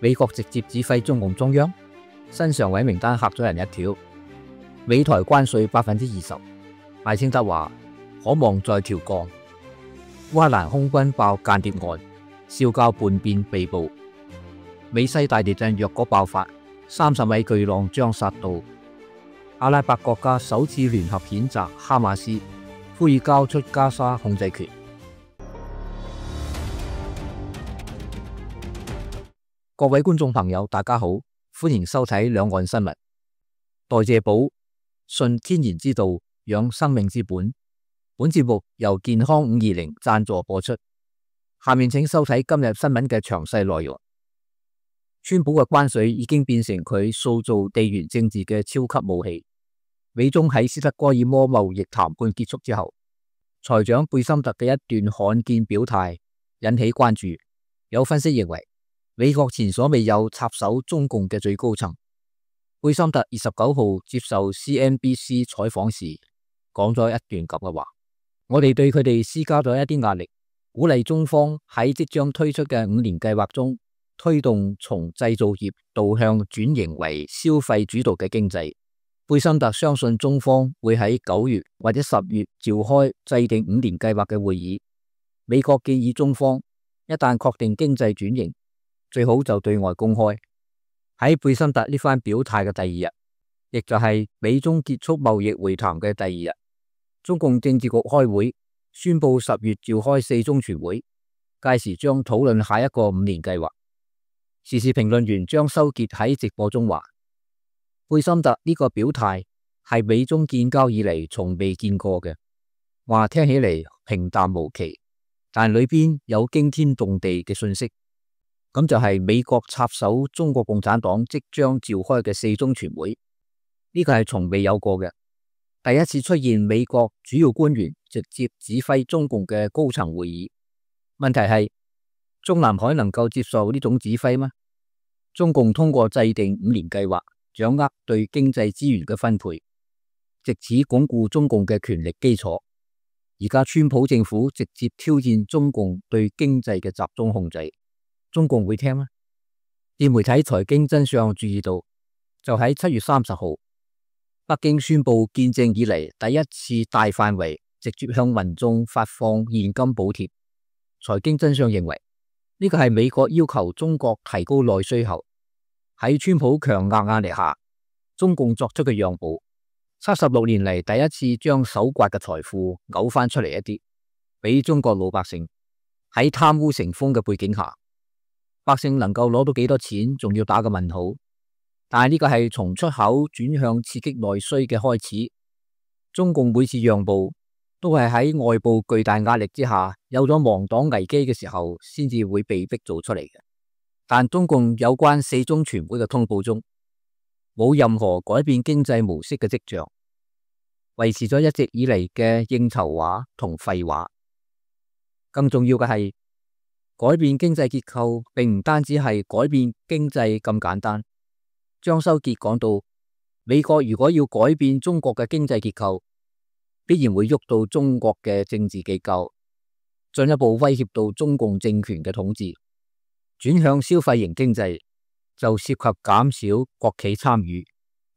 美國直接指揮中共中央，新常委名單嚇咗人一跳。美台關稅20%，賴清德話可望再調降。烏克蘭空軍爆間諜案，少校叛變被捕。美西大地震若果爆發，30米巨浪將殺到。阿拉伯國家首次聯合譴責哈馬斯，呼籲交出加沙控制權。各位觀眾朋友，大家好，歡迎收睇兩岸新聞。代謝寶，信天然之道，養生命之本。本節目由健康520贊助播出。下面請收睇今日新聞嘅詳細內容。川普嘅關稅已經變成佢塑造地緣政治嘅超級武器。美中喺斯德哥爾摩貿易談判結束之後，財長貝森特嘅一段罕見表態引起關注。有分析認為，美國前所未有插手中共嘅最高層。貝森特29號接受 CNBC 採訪時，講咗一段咁嘅話：我哋對佢哋施加咗一啲壓力，鼓勵中方喺即將推出嘅5年計劃中，推動從製造業導向轉型為消費主導嘅經濟。貝森特相信中方會喺9月或者10月召開制定5年計劃嘅會議。美國建議中方一旦確定經濟轉型，最好就對外公開。喺貝森特呢番表態嘅第二日，亦就係美中結束貿易會談嘅第二日，中共政治局開會宣布10月召開4中全會，屆時將討論下一個5年計劃。時事評論員張修傑喺直播中話，貝森特呢個表態係美中建交以嚟從未見過嘅，話聽起嚟平淡無奇，但裏邊有驚天動地嘅信息。咁就係美國插手中國共產黨即將召開嘅4中全會，呢個係從未有過嘅，第一次出現美國主要官員直接指揮中共嘅高層會議。問題係中南海能夠接受呢種指揮嗎？中共通過制定5年計劃，掌握對經濟資源嘅分配，藉此鞏固中共嘅權力基礎。而家川普政府直接挑戰中共對經濟嘅集中控制，中共會聽嗎？電媒體財經真相注意到，就喺7月30號，北京宣布建政以嚟第一次大範圍直接向民眾發放現金補貼。財經真相認為，呢個係美國要求中國提高內需後，喺川普強硬壓力下，中共作出嘅讓步。76年嚟第一次將手刮嘅財富嘔翻出嚟一啲，俾中國老百姓。喺貪污成風嘅背景下，百姓能夠攞到幾多錢，仲要打個問號。但係呢個係從出口轉向刺激內需嘅開始。中共每次讓步，都係喺外部巨大壓力之下，有咗亡黨危機嘅時候，先至會被逼做出嚟嘅。但中共有關4中全會嘅通報中，冇任何改變經濟模式嘅跡象，維持咗一直以嚟嘅應酬話同廢話。更重要嘅係，改變經濟結構並唔單止係改變經濟咁簡單。張修傑講到，美國如果要改變中國嘅經濟結構，必然會喐到中國嘅政治機構，進一步威脅到中共政權嘅統治。轉向消費型經濟就涉及減少國企參與，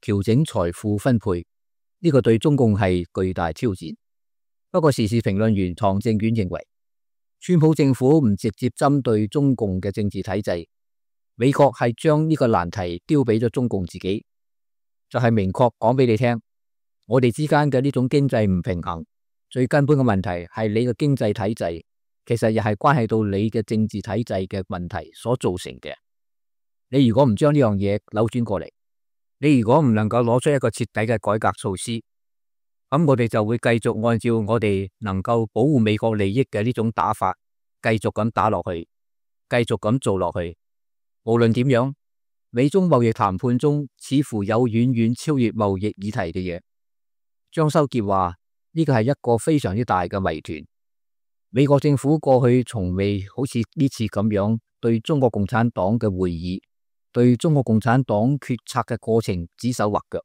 調整財富分配，呢個對中共係巨大挑戰。不過時事評論員唐正遠認為，川普政府唔直接針對中共嘅政治體制，美國係將呢個難題丟俾咗中共自己，就係明確講俾你聽，我哋之間嘅呢種經濟唔平衡，最根本嘅問題係你嘅經濟體制，其實又係關係到你嘅政治體制嘅問題所造成嘅。你如果唔將呢樣嘢扭轉過嚟，你如果唔能夠攞出一個徹底嘅改革措施，咁我哋就會繼續按照我哋能夠保護美國利益嘅呢種打法，繼續咁打落去，繼續咁做落去。無論點樣，美中貿易談判中似乎有遠遠超越貿易議題嘅嘢。張修傑話，呢個係一個非常之大嘅謎團。美國政府過去從未好似呢次咁樣對中國共產黨嘅會議，對中國共產黨決策嘅過程指手畫腳。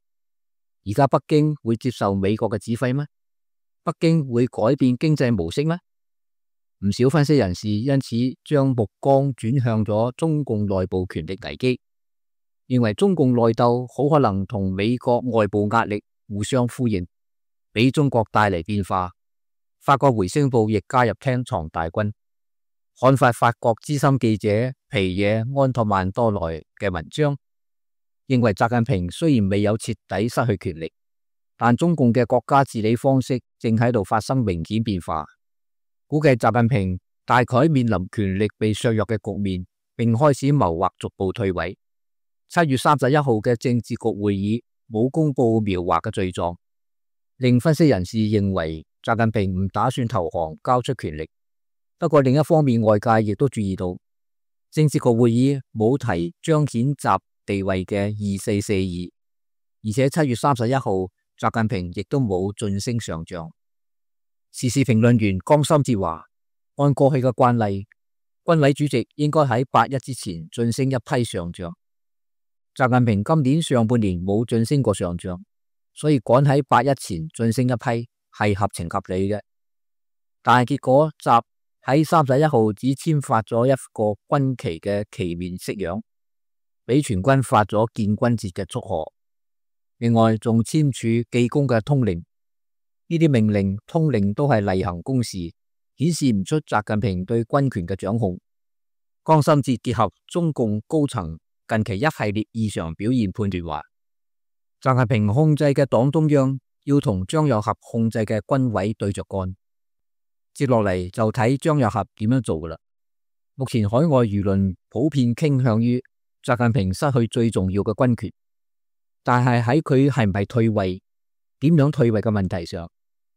而家北京會接受美國嘅指揮咩？北京會改變經濟模式咩？唔少分析人士因此將目光轉向咗中共內部權力危機，認為中共內鬥好可能同美國外部壓力互相呼應，俾中國帶嚟變化。法國回聲報亦加入廳藏大軍，刊發法國資深記者皮野安托曼多萊嘅文章，認為習近平雖然未有徹底失去權力，但中共嘅國家治理方式正喺度發生明顯變化。估計習近平大概面臨權力被削弱嘅局面，並開始謀劃逐步退位。7月31號嘅政治局會議冇公布描畫嘅罪狀，令分析人士認為習近平唔打算投降交出權力。不過另一方面，外界亦都注意到政治局會議冇提彰顯習地位嘅2442，而且7月31號習近平亦都冇晉升上將。時事評論員江心哲話，按過去嘅慣例，軍委主席應該喺8·1之前晉升一批上將。習近平今年上半年冇晉升過上將，所以趕喺8·1前晉升一批係合情合理嘅。但係結果習喺31號只簽發咗一個軍旗嘅旗面式樣，俾全軍發咗建軍節嘅祝賀。另外仲簽署記功嘅通令，呢啲命令通令都係例行公事，顯示唔出習近平對軍權嘅掌控。江心哲結合中共高層近期一系列異常表現判斷話，習近平控制嘅黨中央要同張又俠控制嘅軍委對着幹。接落嚟就睇張又俠點樣做噶啦。目前海外輿論普遍傾向於習近平失去最重要嘅軍權，但係喺佢係唔係退位、點樣退位嘅問題上，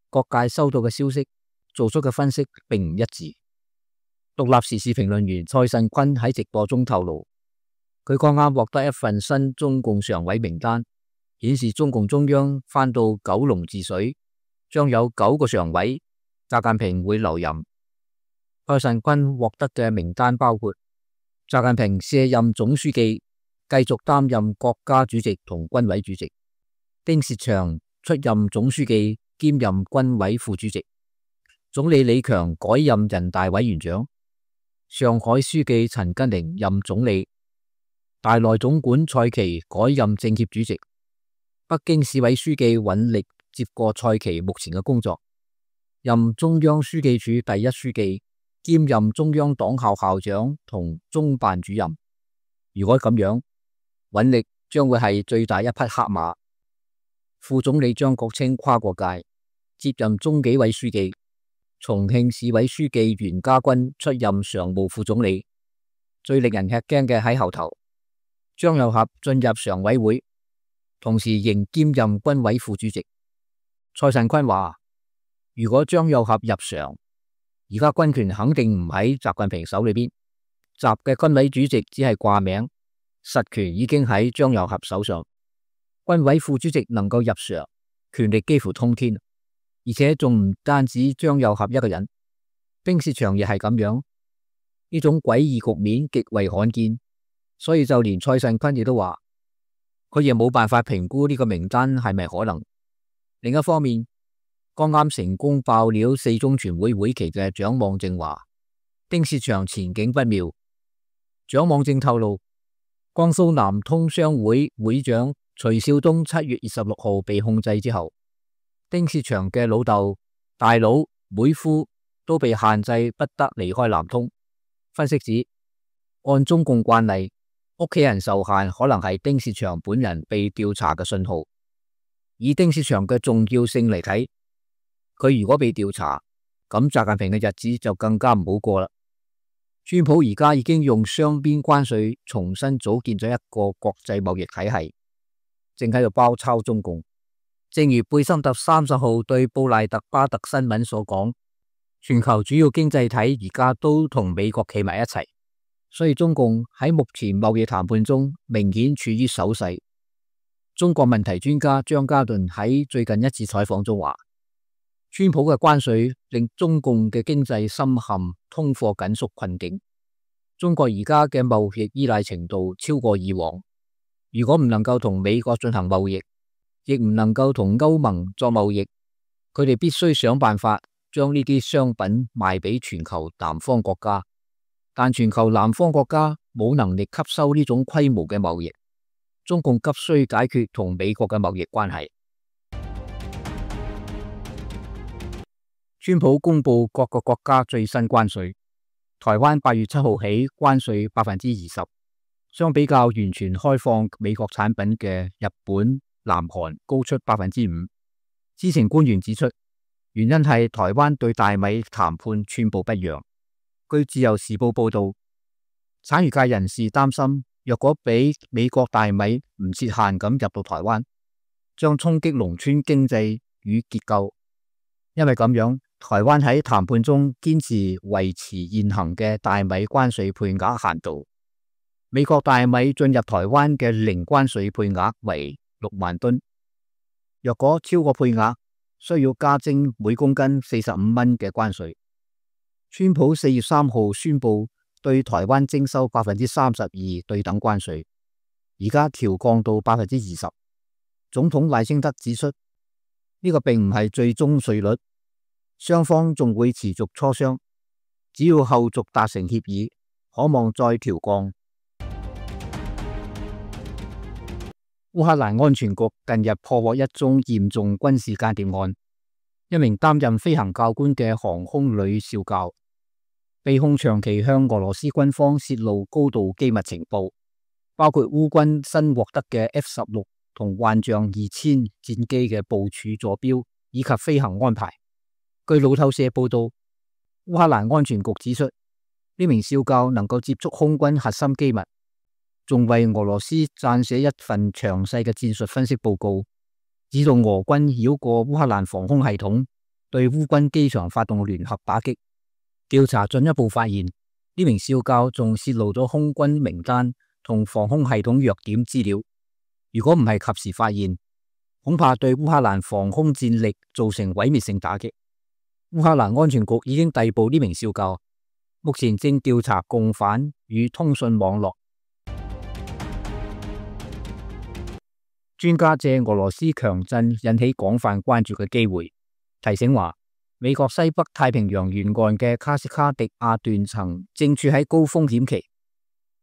各界收到嘅消息、做出嘅分析並唔一致。獨立時事評論員蔡慎坤喺直播中透露，佢剛啱獲得一份新中共常委名單，顯示中共中央翻到九龍治水，將有9個常委，習近平會留任。蔡慎坤獲得嘅名單包括習近平卸任總書記，繼續擔任國家主席同軍委主席；丁薛祥出任總書記兼任軍委副主席；總理李強改任人大委員長；上海書記陳吉寧任總理；大內總管蔡奇改任政協主席；北京市委書記尹力接過蔡奇目前嘅工作，任中央書記處第一書記，兼任中央黨校校長同中辦主任。如果咁樣，尹力將會係最大一匹黑馬。副總理張國清跨過界，接任中紀委書記。重慶市委書記袁家軍出任常務副總理。最令人吃驚嘅喺後頭，張又俠進入常委會，同時仍兼任軍委副主席。蔡慎坤話，如果張又俠入常，而家軍權肯定唔喺習近平手裏邊，習嘅軍委主席只係掛名，實權已經喺張又俠手上。軍委副主席能夠入常，權力幾乎通天，而且仲唔單止張又俠一個人，丁薛祥亦係咁樣。呢種詭異局面極為罕見，所以就連蔡慎坤亦都話，佢亦冇辦法評估呢個名單係咪可能。另一方面，剛啱成功爆料4中全會會期嘅蔣望正話，丁薛祥前景不妙。蔣望正透露，江蘇南通商會會長徐少東7月26號被控制之後，丁薛祥嘅老豆、大佬、妹夫都被限制不得離開南通。分析指，按中共慣例，屋企人受限可能係丁薛祥本人被調查嘅信號。以丁薛祥嘅重要性嚟睇，佢如果被調查，咁習近平嘅日子就更加唔好過啦。川普而家已經用雙邊關稅重新組建咗一個國際貿易體系，正喺度包抄中共。正如貝森特30號對布賴特巴特新聞所講，全球主要經濟體而家都同美國企埋一齊，所以中共喺目前貿易談判中明顯處於守勢。中國問題專家張家頓喺最近一次採訪中話，川普嘅關稅令中共嘅經濟深陷通貨緊縮困境。中國而家嘅貿易依賴程度超過以往，如果唔能夠同美國進行貿易，亦唔能夠同歐盟作貿易，佢哋必須想辦法將呢啲商品賣俾全球南方國家，但全球南方國家冇能力吸收呢種規模嘅貿易，中共急需解決同美國嘅貿易關係。川普公布各個國家最新關稅，台灣8月7號起關稅20%，相比較完全開放美國產品嘅日本、南韓高出5%。知情官員指出，原因係台灣對大米談判寸步不讓。據自由時報報道，產業界人士擔心，若果俾美國大米唔設限咁入到台灣，將衝擊農村經濟與結構。因為咁樣，台灣喺談判中堅持維持現行嘅大米關稅配額限度。美國大米進入台灣嘅零關稅配額為6萬噸，若果超過配額，需要加徵每公斤45蚊嘅關稅。川普4月3號宣布對台灣徵收32%對等關稅，而家調降到20%。總統賴清德指出，呢個並唔係最終稅率，雙方仲會持續磋商，只要後續達成協議，可望再調降。烏克蘭安全局近日破獲一宗嚴重軍事間諜案，一名擔任飛行教官嘅航空女少校被控長期向俄羅斯軍方泄露高度機密情報，包括烏軍新獲得嘅 F-16同幻象2000戰機嘅部署坐標以及飛行安排。據路透社報道，烏克蘭安全局指出，呢名少校能夠接觸空軍核心機密，仲為俄羅斯撰寫一份詳細嘅戰術分析報告，指導俄軍繞過烏克蘭防空系統，對烏軍機場發動聯合打擊。調查進一步發現，呢名少校仲泄露咗空軍名單同防空系統弱點資料。如果唔係及時發現，恐怕對烏克蘭防空戰力造成毀滅性打擊。烏克蘭安全局已經逮捕呢名少校，目前正調查共犯與通訊網絡。專家借俄羅斯強震引起廣泛關注嘅機會，提醒話，美國西北太平洋沿岸嘅卡斯卡迪亞斷層正處喺高風險期。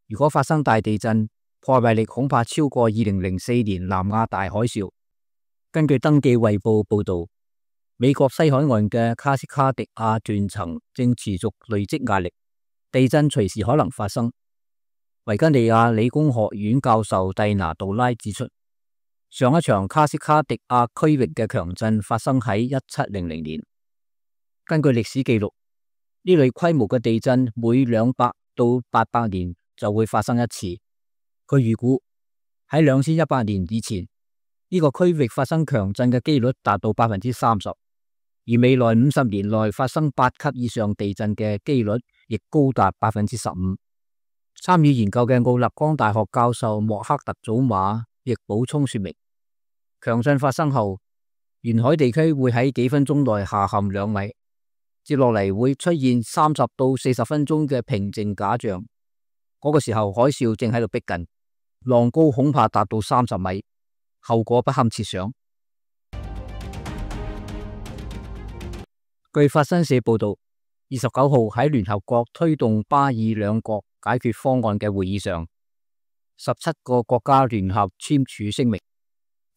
如果發生大地震，破壞力恐怕超過2004年南亞大海嘯。根據登記衛報報道，美國西海岸嘅卡斯卡迪亞斷層正持續累積壓力，地震隨時可能發生。維吉尼亞理工學院教授蒂娜杜拉指出，上一場卡斯卡迪亞區域嘅強震發生喺1700年。根據歷史記錄，呢類規模嘅地震每200到800年就會發生一次。佢預估喺2100年以前，呢個區域發生強震嘅機率達到30%。而未來50年內發生8級以上地震嘅機率亦高達15%。參與研究嘅奧勒岡大學教授莫克特祖馬亦補充說明，強震發生後，沿海地區會喺幾分鐘內下陷2米，接落嚟會出現30到40分鐘嘅平靜假象。嗰個時候海嘯正喺度逼近，浪高恐怕達到30米，後果不堪設想。據法新社報道，29號喺聯合國推動巴以兩國解決方案嘅會議上，17個國家聯合簽署聲明，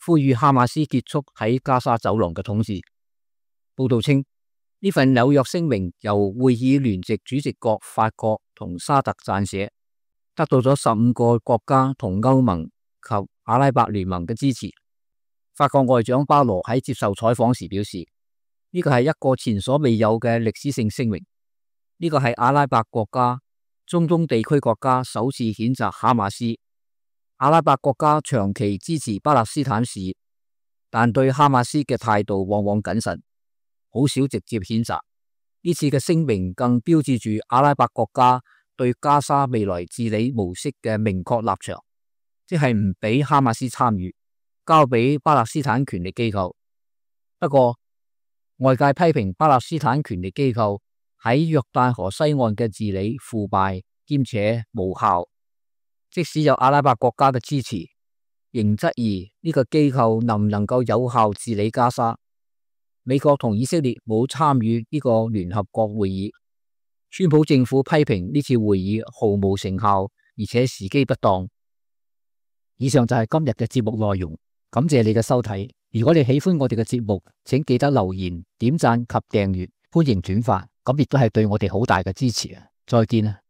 呼籲哈馬斯結束喺加沙走廊嘅統治。報道稱，呢份紐約聲明由會議聯席主席國法國同沙特撰寫，得到咗15個國家同歐盟及阿拉伯聯盟嘅支持。法國外長巴羅喺接受採訪時表示，呢個係一個前所未有嘅歷史性聲明。呢個係阿拉伯國家、中東地區國家首次譴責哈馬斯。阿拉伯國家長期支持巴勒斯坦事業，但對哈馬斯嘅態度往往謹慎，好少直接譴責。呢次嘅聲明更標誌住阿拉伯國家對加沙未來治理模式嘅明確立場，即係唔俾哈馬斯參與，交俾巴勒斯坦權力機構。不過，外界批評巴勒斯坦權力機構喺約旦河西岸嘅治理腐敗兼且無效，即使有阿拉伯國家嘅支持，仍質疑呢個機構能唔能夠有效治理加沙。美國同以色列冇參與呢個聯合國會議。川普政府批評呢次會議毫無成效，而且時機不當。以上就係今日嘅節目內容，感謝你嘅收睇。如果你喜歡我哋嘅節目，請記得留言、點讚及訂閱，歡迎轉發，咁亦都係對我哋好大嘅支持啊！再見啊！